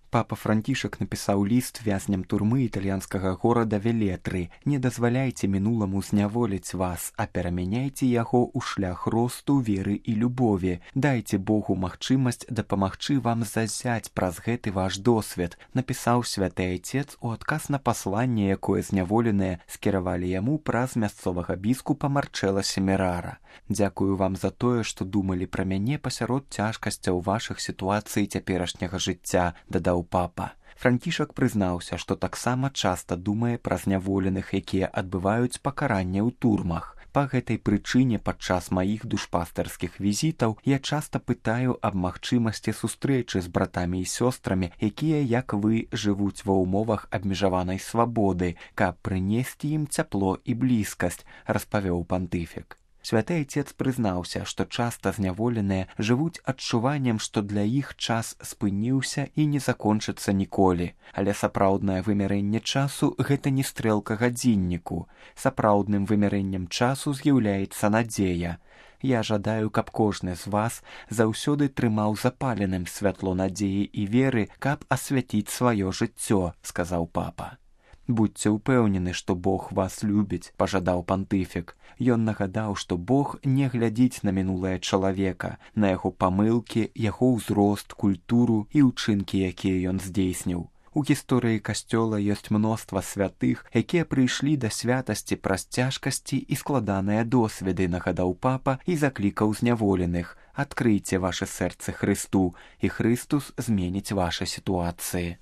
Папа Францішак напісаў ліст вязням турмы італьянскага горада Велетры. Не дазваляйце мінуламу зняволіць вас, а перамяняйце яго ў шлях росту, веры і любові. Дайце Богу магчымасць дапамагчы вам зазяць праз гэты ваш досвед, напісаў святы айцец у адказ на пасланне, якое зняволеныя скіравалі яму праз мясцовага біскупа Марчэла Семерара. Дзякую вам за тое, што думалі пра мяне пасярод цяжкасцяў вашых сітуацый цяперашняга жыцця, дадаў папа. Францішак прызнаўся, што таксама часта думае пра зняволеных, якія адбываюць пакаранне ў турмах. Па гэтай прычыне падчас маіх душпастарскіх візітаў я часта пытаю аб магчымасці сустрэчы з братамі і сёстрамі, якія, як вы, жывуць ва ўмовах абмежаванай свабоды, каб прынесці ім цяпло і блізкасць, распавёў пантыфік. Святы айцец прызнаўся, што часта зняволеныя жывуць адчуваннем, што для іх час спыніўся і не закончыцца ніколі. Але сапраўднае вымярэнне часу – гэта не стрэлка гадзінніку. Сапраўдным вымярэннем часу з'яўляецца надзея. Я жадаю, каб кожны з вас заўсёды трымаў запаленым святло надзеі і веры, каб асвяціць сваё жыццё, сказаў папа. Будьце ўпэўнены, што Бог вас любіць, пажадаў пантыфік. Ён нагадаў, што Бог не глядзіць на мінулае чалавека, на яго памылкі, яго ўзрост, культуру і ўчынкі, якія ён здзейсніў. У гісторыі касцёла ёсць мноства святых, якія прыйшлі да святасці праз цяжкасці і складаныя досведы, нагадаў папа і заклікаў зняволеных. Адкрыйце вашы сэрцы Хрысту, і Хрыстус зменіць вашы сітуацыі.